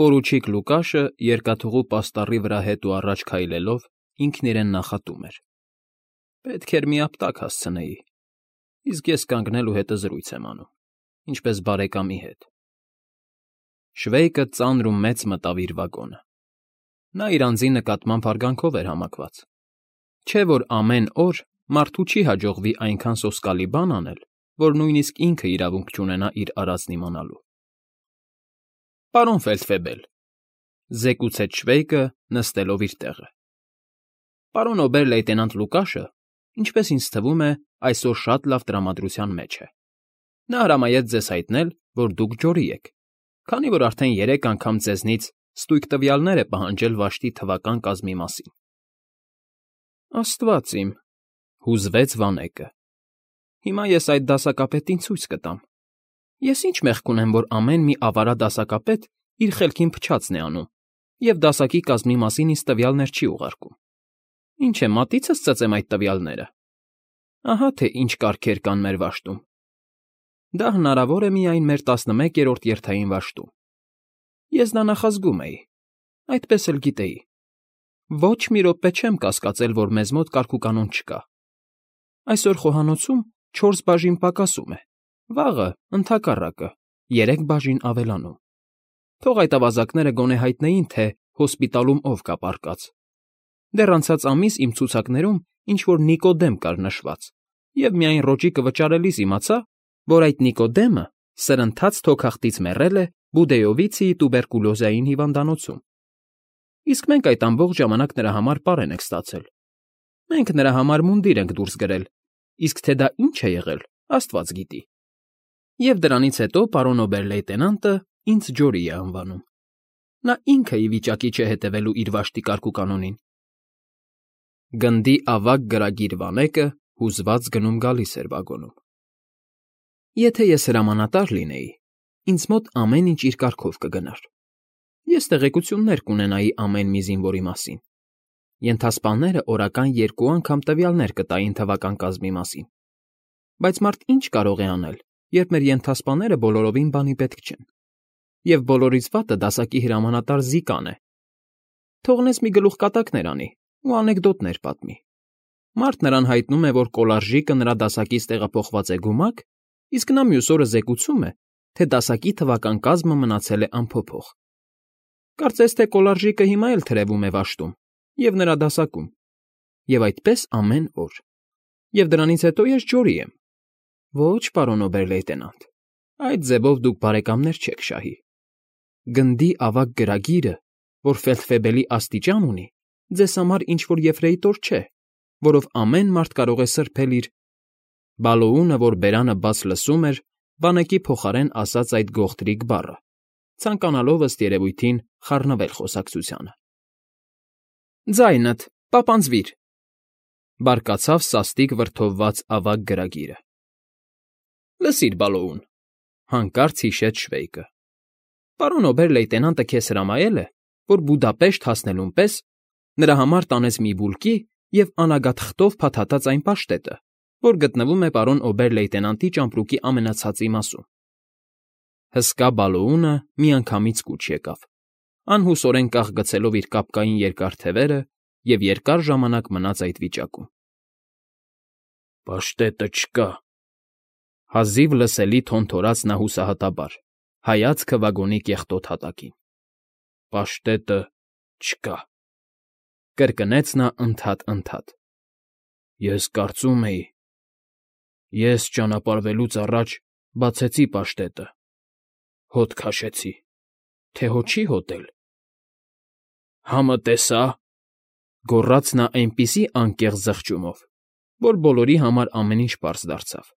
Պորուչիկ Լուկաշը երկաթուղու պաստառի վրա հետ ու առաջ քայլելով ինքն իրեն նախատում էր. «Պետք էր մի ապտակ հասցնեի, իսկ ես կանգնել ու հետզրույց եմ անում, ինչպես բարեկամի հետ»։ Շվեյկը ծանր ու մեծ մտավ իր վագոնը։ Նա իր անձի նկատմամբ հարգանքով էր համակված։ Չէ՞ որ ամեն օր մարդու չի հաջողվի այնքան սոսկալի բան անել, որ նույնիսկ ինքը իրավունք չունենա իր արածն իմանալու։ «Պարոն Ֆեյլդֆեբել,֊ զեկուցեց Շվեյկը, նստելով իր տեղը,֊ պարոն օբեր֊լեյտենանտ Լուկաշը, ինչպես ինձ թվում է, այսօր շատ լավ տրամադրության մեջ է։ Նա հրամայեց ձեզ հայտնել, որ դուք ջորի եք, քանի որ արդեն 3 անգամ ձեզնից ստույգ տվյալներ է պահանջել վաշտի թվական կազմի մասին»։ «Աստված իմ,֊ հուզվեց Վանեկը,֊ հիմա ես այդ դասակապետին ցույց կտամ։ Ես ինչ մեղք ունեմ, որ ամեն մի ավարա դասակապետ իր խելքին փչացն է անում և դասակի կազմի մասին ինձ տվյալներ չի ուղարկում։ Ինչ է, մատիցս ծծեմ այդ տվյալները։ Ահա թե ինչ կարգեր կան մեր վաշտում։ Դա հնարավոր է միայն մեր 11-րդ երթային վաշտում։ Ես դա նախազգում էի, այդպես էլ գիտեի։ Ոչ մի րոպե չեմ կասկածել, որ մեզ մոտ կարգուկանոն չկա։ Այսօր խոհանոցում 4 բաժին պակասում է, վաղը, ընդհակառակը, 3 բաժին ավելանում։ Թող այդ ավազակները գոնե հայտնեին, թե հոսպիտալում ով կա պառկած։ Դեռ անցած ամիս իմ ցուցակներում ինչ֊որ Նիկոդեմ կար նշված, և միայն ռոճիկը վճարելիս իմացա, որ այդ Նիկոդեմը սրընթաց թոքախտից մեռել է Բուդեովիցիի տուբերկուլոզային հիվանդանոցում։ Իսկ մենք այդ ամբողջ ժամանակ նրա համար պարեն ենք ստացել։ Մենք նրա համար մունդիր ենք դուրս գրել, իսկ թե դա ինչ է եղել, Աստված գիտի։ Եվ դրանից հետո պարոն օբեր֊լեյտենանտը ինձ ջորի է անվանում։ Նա ինքը ի վիճակի չէ հետևելու իր վաշտի կարգուկանոնին»։ Գնդի ավագ գրագիր Վանեկը հուզված գնում֊գալիս էր վագոնում։ «Եթե ես հրամանատար լինեի, ինձ մոտ ամեն ինչ իր կարգով կգնար։ Ես տեղեկություններ կունենայի ամեն մի զինվորի մասին։ Ենթասպաները օրական 2 անգամ տվյալներ կտային թվական կազմի մասին։ Բայց մարդ ինչ կարող է անել, երբ մեր ենթասպաները բոլորովին բանի պետք չեն։ Եվ բոլորից վատը դասակի հրամանատար Զիկան է։ Թողնես մի գլուխկատակներ անի ու անեկդոտներ պատմի։ Մարդ նրան հայտնում է, որ կոլարժիկը նրա դասակից տեղափոխված է գումակ, իսկ նա մյուս օրը զեկուցում է, թե դասակի թվական կազմը մնացել է անփոփոխ։ Կարծես թե կոլարժիկը հիմա էլ թրևում է վաշտում և նրա դասակում։ Եվ այդպես ամեն օր։ Եվ դրանից հետո ես ջորի եմ։ Ոչ, պարոն օբեր֊լեյտենանտ, այդ ձևով դուք բարեկամներ չեք շահի։ Գնդի ավագ գրագիրը, որ Ֆեյլդֆեբելի աստիճան ունի, ձեզ համար ինչ֊որ եֆրեյտոր չէ, որով ամեն մարդ կարող է սրբել իր… Բալոունը, որ բերանը բաց լսում էր, Վանեկի փոխարեն ասաց այդ գողտրիկ բառը, ցանկանալով ըստ երևույթին խառնվել խոսակցությանը։ «Ձայնդ, պապանձվիր,֊ բարկացավ սաստիկ վրդովված ավագ գրագիրը։ Լսիր, Բալոուն,֊ հանկարծ հիշեց Շվեյկը։ Պարոն օբեր֊լեյտենանտը քեզ հրամայել է, որ Բուդապեշտ հասնելուն պես նրա համար տանես մի բուլկի և անագատ խտով փաթաթած այն պաշտետը, որ գտնվում է պարոն օբեր֊լեյտենանտի ճամպրուկի ամենացածի մասում։ Հսկա Բալոունը միանգամից կուչ եկավ, անհուսորեն կախ գցելով իր կապկային երկար թևերը և երկար ժամանակ մնաց այդ վիճակում։ Պաշտետը չկա,֊ հազիվ լսելի թոնթորաց նա հուսահատաբար, հայացքը վագոնի կեղտոտ հատակին։ Պաշտետը չկա,֊ կրկնեց նա ընդհատ։ Ես կարծում էի… Ես ճանապարհվելուց առաջ բացեցի պաշտետը, հոտ քաշեցի, թե հո չի հոտել։ Համը տեսա,֊ գոռաց նա այնպիսի անկեղծ զղջումով, որ բոլորի համար ամեն ինչ պարզ դարձավ։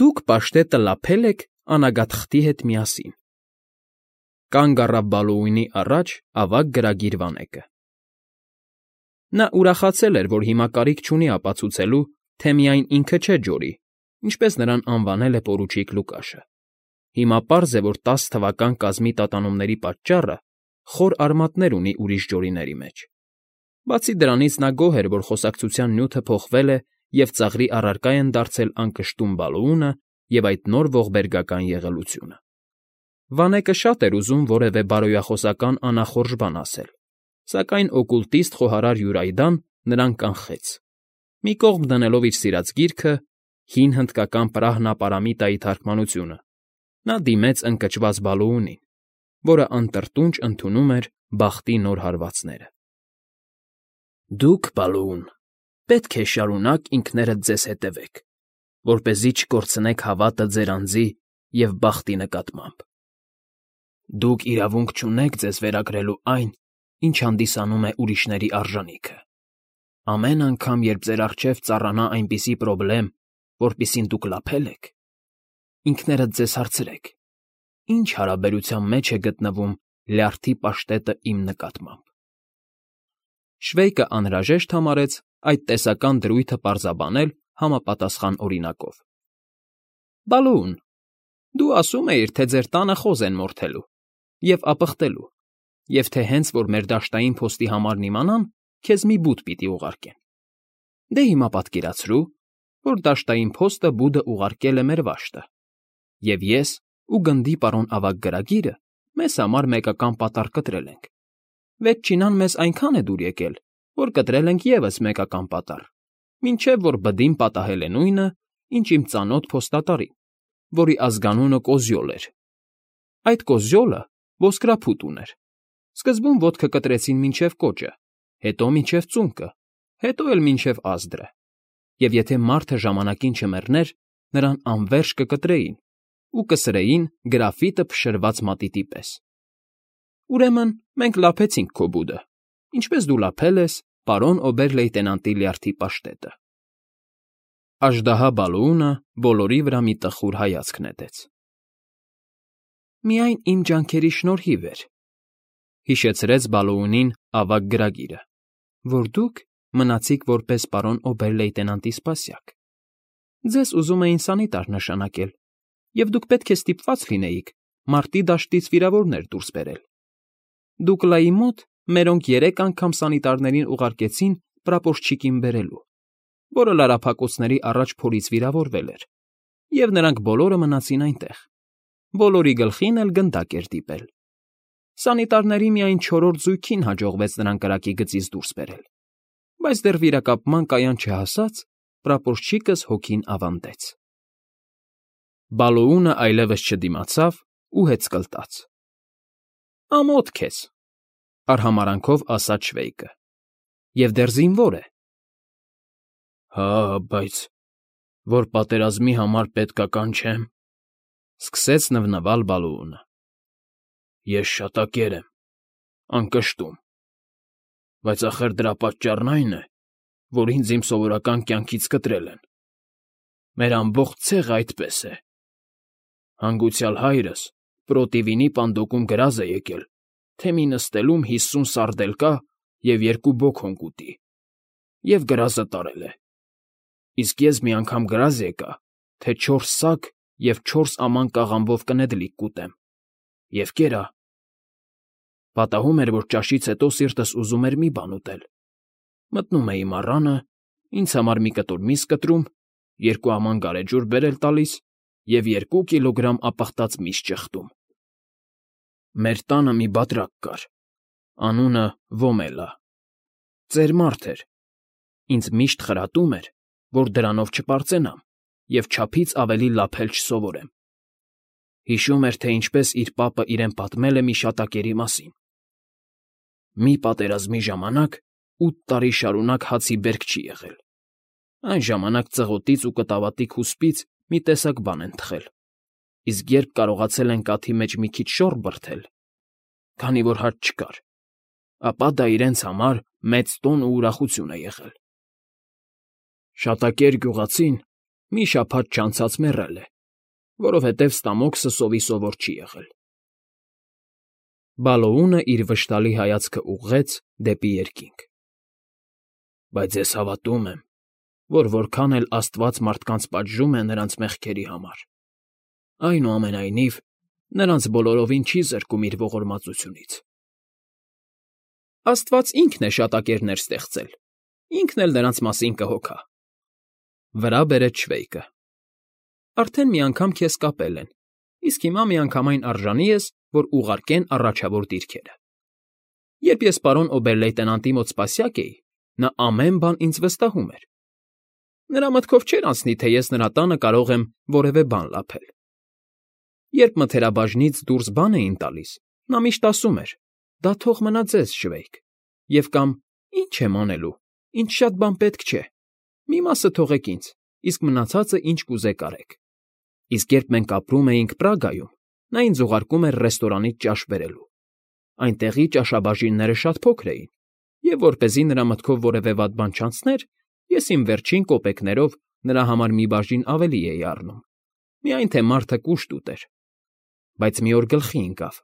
Դուք պաշտետը լափել եք անագաթխտի հետ միասին։ Կանգ առավ Բալոունի առաջ ավագ գրագիր Վանեկը։ Նա ուրախացել էր, որ հիմա կարիք չունի ապացուցելու, թե միայն ինքը չէ ջորի, ինչպես նրան անվանել է պորուչիկ Լուկաշը։ Հիմա պարզ է, որ 10 թվական կազմի տատանումների պատճառը խոր արմատներ ունի ուրիշ ջորիների մեջ։ Բացի դրանից նա գոհ էր, որ խոսակցության նյութը փոխվել է և ծաղրի առարկա են դարձել անկշտում Բալոունը և այդ նոր ողբերգական եղելությունը։ Վանեկը շատ էր ուզում որևէ բարոյախոսական անախորժ բան ասել, սակայն օկուլտիստ խոհարար Յուրայդան նրան կանխեց։ Մի կողմ դնելով իր սիրած գիրքը՝ հին հնդկական պրահնապարամիտայի թարգմանությունը, նա դիմեց ընկճված Բալուունին, որը անտրտունջ ընդունում էր բախտի նոր հարվածները։ Դուք, Բալուուն, պետք է շարունակ ինքներդ ձեզ հետևեք, որպեսզի չկորցնեք հավատը ձեր անձի և բախտի նկատմամբ։ Դուք իրավունք չունեք ձեզ վերագրելու այն, ինչ հանդիսանում է ուրիշների արժանիքը։ Ամեն անգամ, երբ ձեր առջև ծառանա այնպիսի պրոբլեմ, որպիսին դուք լափել եք, ինքներդ ձեզ հարցրեք. ինչ հարաբերության մեջ է գտնվում լյարդի պաշտետը իմ նկատմամբ։ Շվեյկը անհրաժեշտ համարեց այդ տեսական դրույթը պարզաբանել համապատասխան օրինակով։ Բալուուն, դու ասում էիր, թե ձեր տանը խոզ են մորթելու և ապխտելու, և թե հենց որ մեր դաշտային փոստի համարն իմանան, քեզ մի բուդ պիտի ուղարկեն։ Դե հիմա պատկերացրու, որ դաշտային փոստը բուդը ուղարկել է մեր վաշտը, և ես ու գնդի պարոն ավագ գրագիրը մեզ համար մեկական պատառ կտրել ենք։ Վեթչինան մեզ այնքան է դուր եկել, որ կտրել ենք ևս մեկական պատառ, մինչև որ բդին պատահել է նույնը, ինչ իմ ծանոթ փոստատարին, որի ազգանունը Կոզյոլ էր։ Այդ Կոզյոլը ոսկրափութ ուներ։ Սկզբում ոտքը կտրեցին մինչև կոճը, հետո մինչև ծունկը, հետո էլ մինչև ազդրը, և եթե մարդը ժամանակին չմեռներ, նրան անվերջ կկտրեին ու կսրեին գրաֆիտը փշրված մատիտի պես։ Ուրեմն մենք լափեցինք քո բուդը, ինչպես դու լափել ես պարոն օբեր֊լեյտենանտի լյարդի պաշտետը։ Աժդահա Բալուունը բոլորի վրա մի տխուր հայացք նետեց։ Միայն իմ ջանքերի շնորհիվ էր, հիշեցրեց Բալուունին ավագ գրագիրը, որ դուք մնացիք որպես պարոն օբեր֊լեյտենանտի սպասյակ։ Ձեզ ուզում էին սանիտար նշանակել, և դուք պետք է ստիպված լինեիք մարտի դաշտից վիրավորներ դուրս բերել։ Դուկլայի մոտ մերոնք 3 անգամ սանիտարներին ուղարկեցին պրապորչիկին բերելու, որը լարափակոցների առաջ փորից վիրավորվել էր, և նրանք բոլորը մնացին այնտեղ։ Բոլորի գլխին էլ գնդակ էր դիպել։ Սանիտարների միայն 4-րդ զույգին հաջողվեց նրան կրակի գծից դուրս բերել, բայց դեռ վիրակապման կայան չհասած, պրապորչիկս հոգին ավանդեց։ Բալուունը այլևս չդիմացավ ու հեծկլտաց։ Ամոթ քեզ, արհամարանքով ասաց Շվեյկը, և դեռ զինվոր է։ Հա, բայց որ պատերազմի համար պետքական չեմ, սկսեց նվնվալ Բալուունը։ Ես շատակեր եմ, անկշտում, բայց ախր դրա պատճառն այն է, որ ինձ իմ սովորական կյանքից կտրել են։ Մեր ամբողջ ցեղը այդպես է։ Հանգուցյալ հայրս պրոտիվինի պանդոկում գրազ է եկել, թե մի նստելում 50 սարդել կա և 2 բոքոնք ուտի, և գրազը տարել է։ Իսկ ես մի անգամ գրազ եկա, թե 4 սակ և 4 աման կաղամբով կնեդլիկ կուտեմ, և կերա։ Պատահում էր, որ ճաշից հետո սիրտս ուզում էր մի բան ուտել։ Մտնում էի մառանը, ինձ համար մի կտոր միս կտրում, 2 աման գարեջուր բերել տալիս և 2 կիլոգրամ ապխտած միս ճխտում։ Մեր տանը մի բատրակ կար, անունը Ոմելա։ Ծեր մարդ էր, ինձ միշտ խրատում էր, որ դրանով չպարծենամ և չափից ավելի լափել չսովորեմ։ Հիշում էր, թե ինչպես իր պապը իրեն պատմել է մի շատակերի մասին։ Մի պատերազմի ժամանակ 8 տարի շարունակ հացի բերք չի եղել։ Այն ժամանակ ծղոտից ու կտավատի քուսպից մի տեսակ բան են թխել, իսկ երբ կարողացել են կաթի մեջ մի քիչ շոռ բրդել, քանի որ հաց չկար, ապա դա իրենց համար մեծ տոն ու ուրախություն է եղել։ Շատակեր գյուղացին մի շաբաթ չանցած մեռել է, որովհետև ստամոքսը սովի սովոր չի եղել։ Բալոունը իր վշտալի հայացքը ուղղեց դեպի երկինք։ Բայց ես հավատում եմ, որ որքան էլ Աստված մարդկանց պատժում է նրանց մեղքերի համար, այնուամենայնիվ նրանց բոլորովին չի զրկում իր ողորմածությունից։ Աստված ինքն է շատակերներ ստեղծել, ինքն էլ նրանց մասին կհոգա։ Վրա բերեց Շվեյկը։ Արդեն մի անգամ քեզ կապել են, իսկ հիմա միանգամայն արժանի ես, որ ուղարկեն առաջավոր դիրքերը։ Երբ ես պարոն օբեր֊լեյտենանտի մոտ սպասյակ էի, նա ամեն բան ինձ վստահում էր։ Նրա մտքով չէր անցնի, թե ես նրա տանը կարող եմ որևէ բան լափել։ Երբ մթերաբաժնից դուրս բան էին տալիս, նա միշտ ասում էր. «Դա թող մնա ձեզ, Շվեյք», և կամ «Ինչ եմ անելու, ինձ շատ բան պետք չէ, մի մասը թողեք ինձ, իսկ մնացածը ինչ կուզեք արեք»։ Իսկ երբ մենք ապրում էինք Պրագայում, նա ինձ ուղարկում էր ռեստորանից ճաշ բերելու։ Այնտեղի ճաշաբաժինները շատ փոքր էին, և որպեսզի նրա մտքով որևէ վատ բան չանցներ, ես իմ վերջին կոպեկներով նրա համար մի բաժին ավելի էի առնում, միայն թե մարդը կուշտ ուտեր։ Բայց մի օր գլխի ընկավ.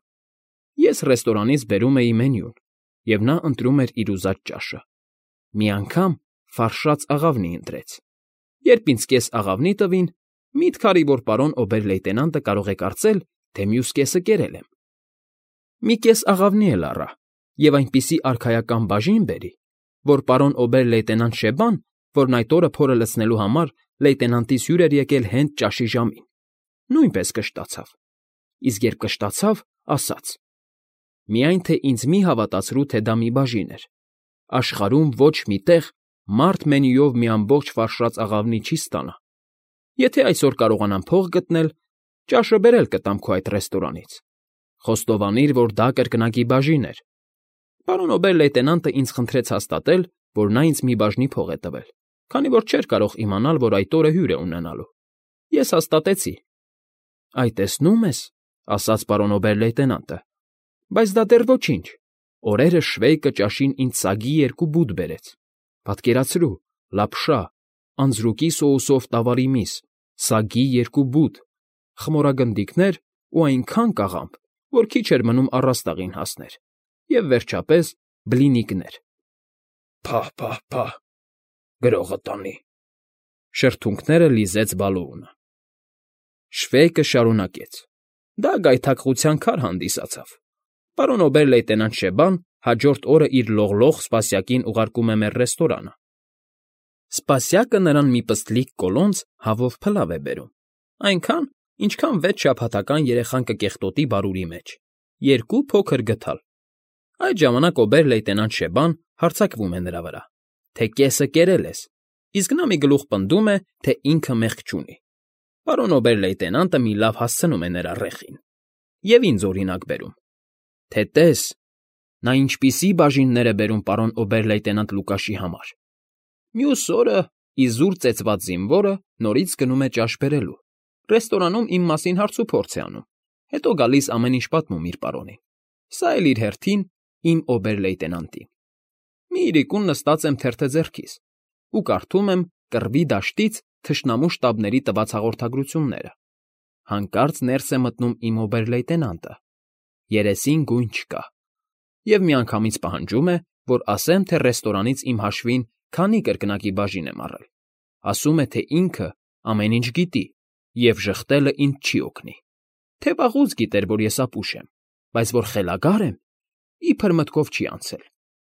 ես ռեստորանից բերում էի մենյուն, և նա ընտրում էր իր ուզած ճաշը։ Մի անգամ ֆարշած աղավնի ընտրեց։ Երբ ինձ կես աղավնի տվին, միտք արի, որ պարոն օբեր֊լեյտենանտը կարող է կարծել, թե մյուս կեսը կերել եմ։ Մի կես աղավնի էլ առա և այնպիսի արքայական բաժին բերի, որ պարոն օբեր֊լեյտենանտ Շեբան, որն այդ օրը փորը լցնելու համար լեյտենանտիս հյուր էր եկել հենց ճաշի ժամին, նույնպես կշտացավ, իսկ երբ կշտացավ, ասաց. «Միայն թե ինձ մի հավատացրու, թե դա մի բաժին էր. աշխարհում ոչ մի տեղ մարդ մենյուով մի ամբողջ ֆարշած աղավնի չի ստանա։ Եթե այսօր կարողանամ փող գտնել, ճաշը բերել կտամ քո այդ ռեստորանից։ Խոստովանիր, որ դա կրկնակի բաժին էր»։ Պարոն օբեր֊լեյտենանտը ինձ խնդրեց հաստատել, որ նա ինձ մի բաժնի փող է տվել, քանի որ չէր կարող իմանալ, որ այդ օրը հյուր է ունենալու։ Ես հաստատեցի։ «Այ տեսնում ես», ասաց պարոն օբեր֊լեյտենանտը, «բայց դա դեռ ոչինչ։ Օրերը Շվեյկը ճաշին ինձ սագի 2 բուտ բերեց։ Պատկերացրու, լապշա, անձրուկի սոուսով տավարի միս, սագի 2 բուտ, խմորագնդիկներ ու այնքան կաղամբ, որ քիչ էր մնում առաստաղին հասներ, և վերջապես բլինիկներ»։ «Փահ, գրողը տանի», շրթունքները լիզեց Բալոունը։ Շվեյկը շարունակեց. «Դա գայթակղության քար հանդիսացավ։ Պարոն օբեր֊լեյտենանտ Շեբան հաջորդ օրը իր լողլող սպասյակին ուղարկում է մեր ռեստորանը։ Սպասյակը նրան մի պստլիկ կոլոնց հավով փլավ է բերում, այնքան, ինչքան 6 շաբաթական երեխան կկեղտոտի բարուրի մեջ, 2 փոքր գդալ։ Այդ ժամանակ օբեր֊լեյտենանտ Շեբան հարձակվում է նրա վրա, թե կեսը կերել ես, իսկ նա մի գլուխ պնդում է, թե ինքը մեղք չունի։ Պարոն օբեր֊լեյտենանտը մի լավ հասցնում է նրա ռեխին և ինձ օրինակ բերում, թե տես, նա ինչպիսի բաժիններ է բերում պարոն օբեր֊լեյտենանտ Լուկաշի համար։ Մյուս օրը իզուր ծեծված զինվորը նորից գնում է ճաշ բերելու, ռեստորանում իմ մասին հարցուփորձ է անում, հետո գալիս ամեն ինչ պատմում իր պարոնին, սա էլ իր հերթին իմ օբեր֊լեյտենանտին։ Մի իրիկուն նստած եմ թերթը ձեռքիս ու կարդում եմ Կռվի դաշտից թշնամու շտաբների տված հաղորդագրությունները։ Հանկարծ ներս է մտնում իմ օբեր֊լեյտենանտը, երեսին գույն չկա, և միանգամից պահանջում է, որ ասեմ, թե ռեստորանից իմ հաշվին քանի կրկնակի բաժին եմ առել։ Ասում է, թե ինքը ամեն ինչ գիտի, և ժխտելը ինձ չի օգնի, թե վաղուց գիտեր, որ ես ապուշ եմ, բայց որ խելագար եմ, իբր մտքով չի անցել,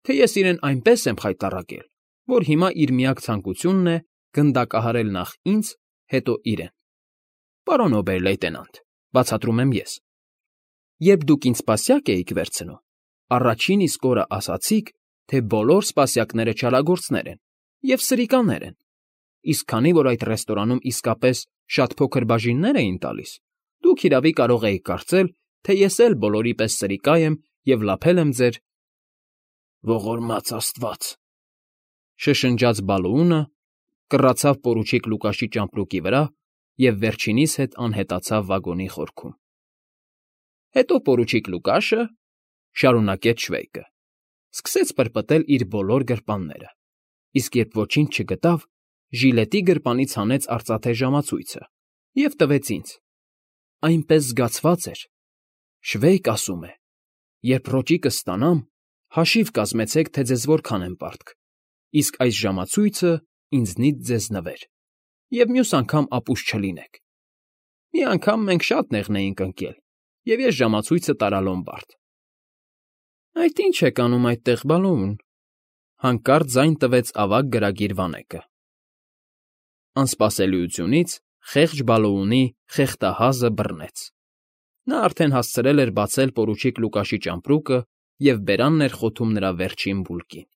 թե ես իրեն այնպես եմ խայտառակել, որ հիմա իր միակ ցանկությունն է գնդակահարել նախ ինձ, հետո իրեն։ Պարոն օբեր֊լեյտենանտ, բացատրում եմ ես, երբ դուք ինձ սպասյակ էիք վերցնում, առաջին իսկ օրը ասացիք, թե բոլոր սպասյակները չարագործներ են և սրիկաներ են, իսկ քանի որ այդ ռեստորանում իսկապես շատ փոքր բաժիններ էին տալիս, դուք հիրավի կարող էիք կարծել, թե ես էլ բոլորի պես սրիկա եմ և լափել եմ ձեր… Ողորմած աստված, շշնջաց Բալոունը, կռացավ պորուչիկ Լուկաշի ճամպրուկի վրա և վերջինիս հետ անհետացավ վագոնի խորքում։ Հետո պորուչիկ Լուկաշը, շարունակեց Շվեյկը, սկսեց պրպտել իր բոլոր գրպանները, իսկ երբ ոչինչ չգտավ, ժիլետի գրպանից հանեց արծաթե ժամացույցը և տվեց ինձ։ Այնպես զգացված էր. Շվեյկ ասում է. «Երբ ռոճիկը ստանամ, հաշիվ կազմեցեք, թե ձեզ որքան եմ պարտք, իսկ այս ժամացույցը ինձնից ձեզ նվեր, և մյուս անգամ ապուշ չլինեք»։ Մի անգամ մենք շատ նեղն էինք ընկել, և ես ժամացույցը տարա Լոմբարդ։ «Այդ ի՞նչ եք անում այդտեղ, Բալոուն», հանկարծ ձայն տվեց ավագ գրագիր վանեկը։ Անսպասելիությունից խեղճ Բալոունի խեղդահազը բռնեց։ Նա արդեն հասցրել էր բացել պորուչիկ Լուկաշի ճամպրուկը և բերանն էր խոթում նրա վերջին բուլկին։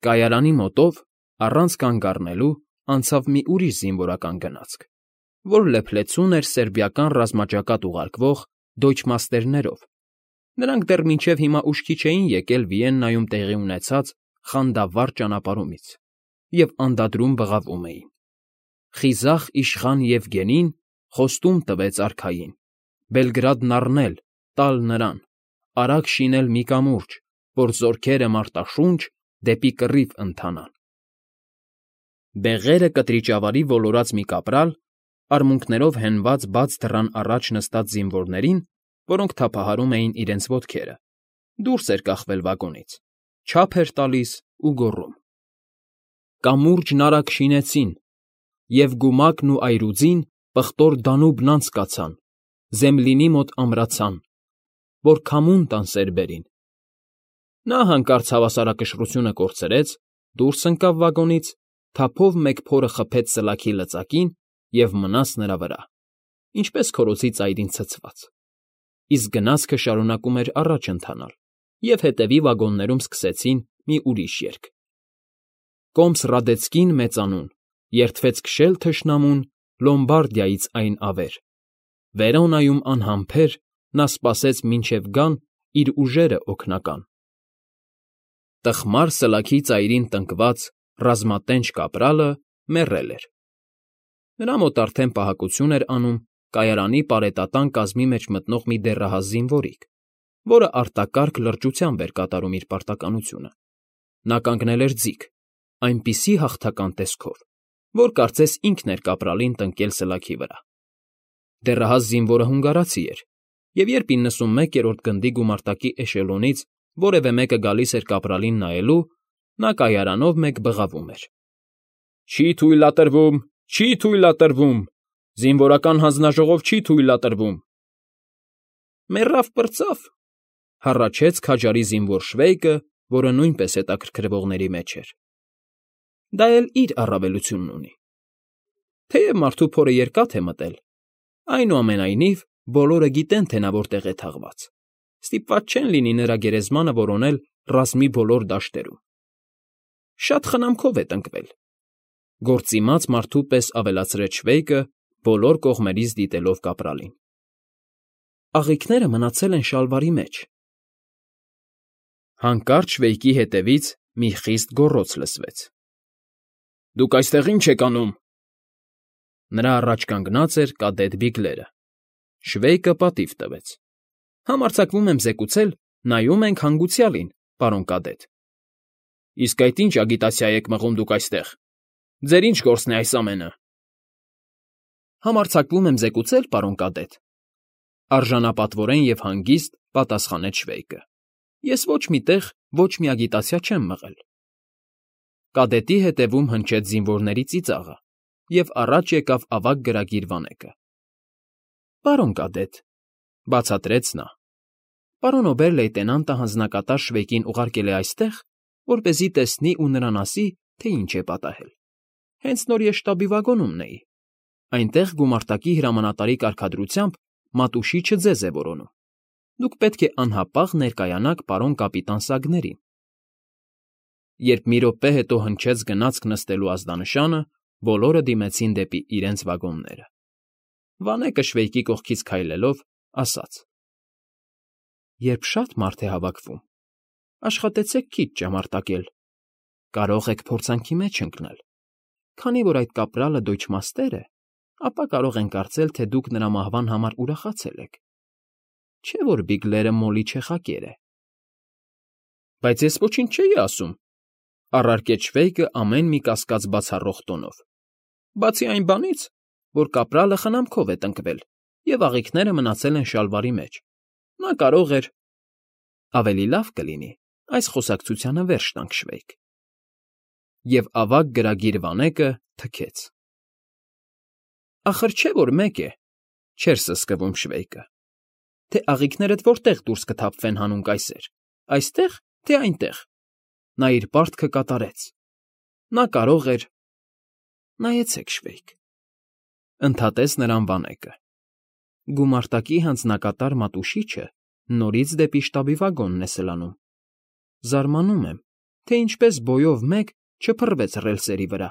Կայարանի մոտով, առանց կանգ առնելու, անցավ մի ուրիշ զինվորական գնացք, որ լեփլեցուն էր սերբիական ռազմաճակատ ուղարկվող դոյչմաստերներով։ Նրանք դեռ մինչև հիմա ուշքի չէին եկել Վիեննայում տեղի ունեցած խանդավառ ճանապարհումից և անդադրում բղավում էին. «Խիզախ իշխան Եվգենին խոստում տվեց արքային, Բելգրադն առնել, տալ նրան, արագ շինել մի կամուրջ, որ զորքերը մարտաշունչ դեպի կռիվ ընթանան»։ Բեղերը կտրիճավարի ոլորած մի կապրալ, արմունկներով հենված բաց դռան առաջ նստած զինվորներին, որոնք թափահարում էին իրենց ոտքերը, դուրս էր կախվել վագոնից, չափ էր տալիս ու գոռում. «Կամուրջն արագ շինեցին, և գումակն ու այրուձին պղտոր Դանուբն անցկացան, Զեմլինի մոտ ամրացան, որ քամուն տան սերբերին»։ Նա հանկարծ հավասարակշռությունը կորցրեց, դուրս ընկավ վագոնից, թափով մեկ փորը խփեց սլաքի լծակին և մնաց նրա վրա, ինչպես քորոցի ծայրին ցցված, իսկ գնացքը շարունակում էր առաջ ընթանալ, և հետևի վագոններում սկսեցին մի ուրիշ երգ. «Կոմս Ռադեցկին մեծանուն, երդվեց քշել թշնամուն Լոմբարդիայից այն ավեր, Վերոնայում անհամբեր նա սպասեց մինչև գան իր ուժերը օգնական»։ Տխմար սլաքի ծայրին տնկված ռազմատենչ կապրալը մեռել էր։ Նրա մոտ արդեն պահակություն էր անում կայարանի պարետատան կազմի մեջ մտնող մի դեռահաս զինվորիկ, որը արտակարգ լրջությամբ էր կատարում իր պարտականությունը։ Նա կանգնել էր ձիգ, այնպիսի հաղթական տեսքով, որ կարծես ինքն էր կապրալին տնկել սլաքի վրա։ Դեռահաս զինվորը հունգարացի էր, և երբ 91-րդ գնդի գումարտակի էշելոնից որևէ մեկը գալիս էր կապրալին նայելու, նա կայարանով մեկ բղավում էր. «Չի թույլատրվում, չի թույլատրվում, զինվորական հանձնաժողով չի թույլատրվում»։ «Մեռավ պրծավ», հառաչեց քաջարի զինվոր Շվեյկը, որը նույնպես հետաքրքրվողների մեջ էր։ Դա էլ իր առավելությունն ունի։ Թեև մարդու փորը երկաթ է մտել, այնուամենայնիվ բոլորը գիտեն, թե նա որտեղ է թաղված, ստիպված չեն լինի նրա գերեզմանը որոնել ռազմի բոլոր դաշտերում։ Շատ խնամքով է տնկվել, գործիմաց մարդու պես ավելացրեց Շվեյկը, բոլոր կողմերից դիտելով կապրալին։ Աղիքները մնացել են շալվարի մեջ։ Հանկարծ Շվեյկի հետևից մի խիստ գոռոց լսվեց. «Դուք այստեղ ի՞նչ եք անում»։ Նրա առաջ կանգնած էր կադետ Բիգլերը։ Շվեյկը պատիվ տվեց. «Համարձակվում եմ զեկուցել, նայում ենք հանգուցյալին, պարոն կադետ»։ «Իսկ այդ ի՞նչ ագիտացիա եք մղում դուք այստեղ։ Ձեր ի՞նչ գործն է այս ամենը»։ «Համարձակվում եմ զեկուցել, պարոն կադետ», արժանապատվորեն և հանգիստ պատասխանեց Շվեյկը։ «Ես ոչ մի տեղ ոչ մի ագիտացիա չեմ մղել»։ Կադետի հետևում հնչեց զինվորների ծիծաղը, և առաջ եկավ ավագ գրագիր Վանեկը։ «Պարոն կադետ», բացատրեց նա, «պարոն օբեր֊լեյտենանտը հանձնակատար Շվեյկին ուղարկել է այստեղ, որպեսզի տեսնի ու նրան ասի, թե ինչ է պատահել։ Հենց նոր ես շտաբի վագոնում էի։ Այնտեղ գումարտակի հրամանատարի կարգադրությամբ մատուշիչը ձեզ է որոնում։ Դուք պետք է անհապաղ ներկայանաք պարոն կապիտան Սագներին»։ Երբ մի րոպե հետո հնչեց գնացք նստելու ազդանշանը, բոլորը դիմեցին դեպի իրենց վագոնները։ Վանեկը Շվեյկի կողքից քայլելով ասաց. «Երբ շատ մարդ է հավաքվում, աշխատեցեք քիչ ճամարտակել, կարող եք փորձանքի մեջ ընկնել։ Քանի որ այդ կապրալը դոյչմաստեր է, ապա կարող են կարծել, թե դուք նրա մահվան համար ուրախացել եք։ Չէ՞ որ Բիգլերը մոլի չեխակեր է»։ «Բայց ես ոչինչ չէի ասում», առարկեց Շվեյկը ամեն մի կասկած բացառող տոնով։ «Բացի այն բանից, որ կապրալը խնամքով է տնկվել, և աղիքները մնացել են շալվարի մեջ, նա կարող էր… Ավելի լավ կլինի այս խոսակցությանը վերջ տանք, Շվեյկ»։ Եվ ավագ գրագիր Վանեկը թքեց։ «Ախր չէ՞ որ մեկ է», չէր սսկվում Շվեյկը, «թե աղիքներդ որտեղ դուրս կթափվեն հանուն կայսեր, այստե՞ղ, թե այնտեղ։ Նա իր պարտքը կատարեց։ Նա կարող էր… Նայեցեք, Շվեյկ», ընդհատեց նրան Վանեկը։ Գումարտակի հանձնակատար Մատուշիչը նորից դեպի շտաբի վագոնն է սլանում։ Զարմանում եմ, թե ինչպես բոյով մեկ չփռվեց ռելսերի վրա։